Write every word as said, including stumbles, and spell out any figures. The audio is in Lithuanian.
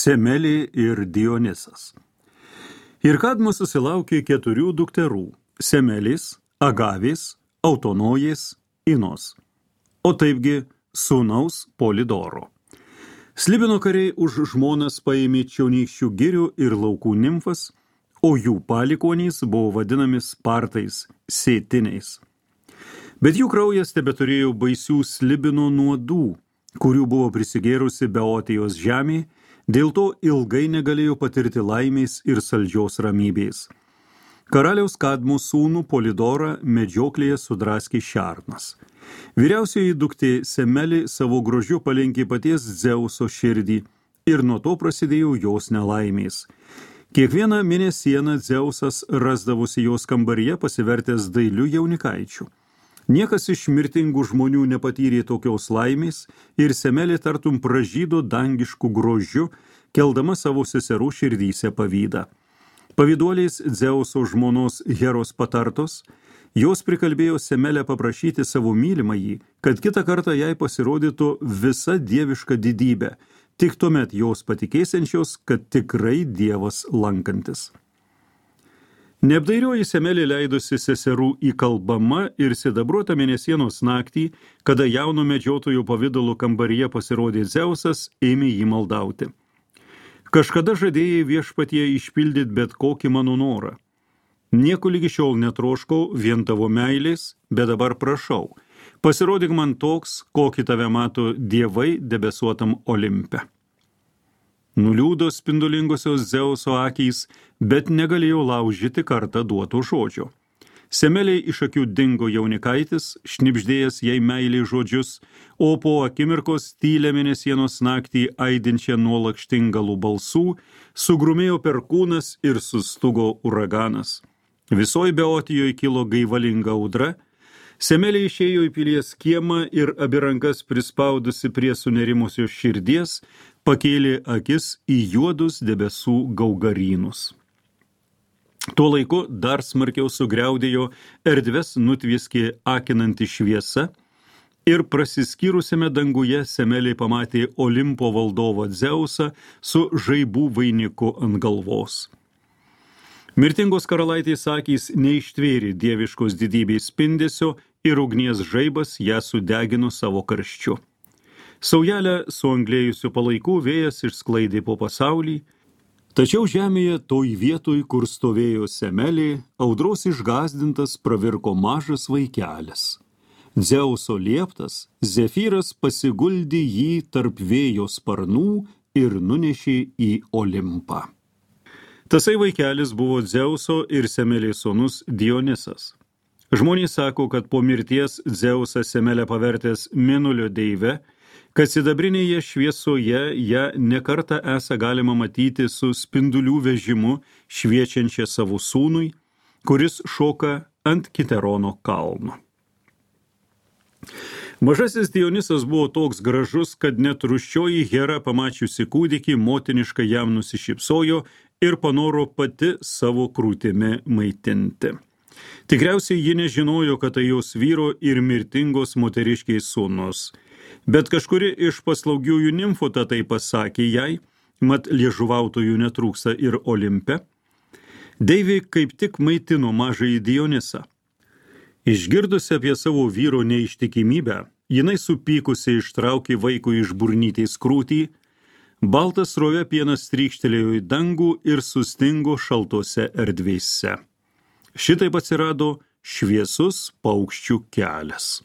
Semelė ir Dionysas. Ir Kadmas susilaukė keturių dukterų – Semelės, Agavės, Autonojės, Inos, o taipgi sūnaus Polidoro. Slibino kariai už žmonas paėmė čionykščių girių ir laukų nimfas, o jų palikonys buvo vadinami Spartais, Sėtiniais. Bet jų kraujas tebeturėjo baisių Slibino nuodų, kurių buvo prisigėrusi Beotijos žemė, dėl to ilgai negalėjo patirti laimės ir saldžios ramybės. Karaliaus Kadmo sūnų Polidorą medžioklėje sudraskė šernas. Vyriausioji duktė Semelė savo grožiu palenkė paties Dzeuso širdį ir nuo to prasidėjo jos nelaimės. Kiekvieną mėnesieną Dzeusas rasdavosi jos kambaryje pasivertęs dailiu jaunikaičiu. Niekas iš mirtingų žmonių nepatyrė tokios laimės ir Semelė tartum pražydo dangiškų grožiu, keldama savo seserų širdyse pavydą. Pavyduoliais Dzeuso žmonos Heros patartos, jos prikalbėjo Semelę paprašyti savo mylimąjį, kad kitą kartą jai pasirodytų visa dieviška didybė, tik tuomet jos patikėsiančios, kad tikrai Dievas lankantis. Neapdairioji Semelė leidosi seserų įkalbama ir sidabruota mėnesienos naktį, kada jauno medžiotojų pavidalų kambaryje pasirodė Dzeusas, ėmė jį maldauti. Kažkada žadėjai viešpatie išpildyti bet kokį mano norą. Nieko lygi šiol netroškau vien tavo meilės, bet dabar prašau. Pasirodyk man toks, kokį tave mato dievai debesuotam Olimpe. Nuliūdo spindulingosios Dzeuso akys, bet negalėjo laužyti kartą duoto žodžio. Semeliai iš akių dingo jaunikaitis, šnibždėjęs jai meiliai žodžius, o po akimirkos tylę mėnesienos naktį aidinčią nuo lakštingalų balsų, sugrumėjo perkūnas ir sustugo uraganas. Visoj Beotijoje kilo gaivalinga audra. Semelė išėjo į pilies kiemą ir abi rankas prispaudusi prie sunerimusios širdies, pakėlė akis į juodus debesų gaugarynus. Tuo laiku dar smarkiau sugriaudėjo, erdves nutvieskė akinanti šviesa ir prasiskyrusiame danguje Semelė pamatė Olimpo valdovą Dzeusą su žaibų vainiku ant galvos. Mirtingos karalaitės akys neištvėrė dieviškos didybės spindesio ir ugnies žaibas ją sudegino savo karščiu. Saujelę suanglėjusių palaikų vėjas išsklaidė po pasaulį, tačiau žemėje toj vietoj, kur stovėjo Semelė, audros išgąsdintas pravirko mažas vaikelis. Dzeuso lieptas, Zefyras pasiguldė jį tarp vėjo sparnų ir nunešė į Olimpą. Tasai vaikelis buvo Dzeuso ir Semelės sūnus Dionysas. Žmonės sako, kad po mirties Dzeusas Semelę pavertęs mėnulio deive, kad sidabrinėje šviesoje ją nekartą esą galima matyti su spindulių vežimu šviečiančia savo sūnui, kuris šoka ant Kiterono kalno. Mažasis Dionysas buvo toks gražus, kad net rūsčioji Hera pamačiusi kūdikį motiniškai jam nusišypsojo ir panoro pati savo krūtimi maitinti. Tikriausiai ji nežinojo, kad tai jos vyro ir mirtingos moteriškiai sūnus. Bet kažkuri iš paslaugiųjų nimfų tai pasakė jai, mat liežuvautojų netrūksta ir Olimpe. Deivė kaip tik maitino mažąjį Dionysą. Išgirdusi apie savo vyro neištikimybę, jinai supykusi ištraukė vaikų iš burnytės krūtį, baltas srovė pienas trykštelėjo į dangų ir sustingo šaltose erdvėse. Šitaip atsirado šviesus paukščių kelias.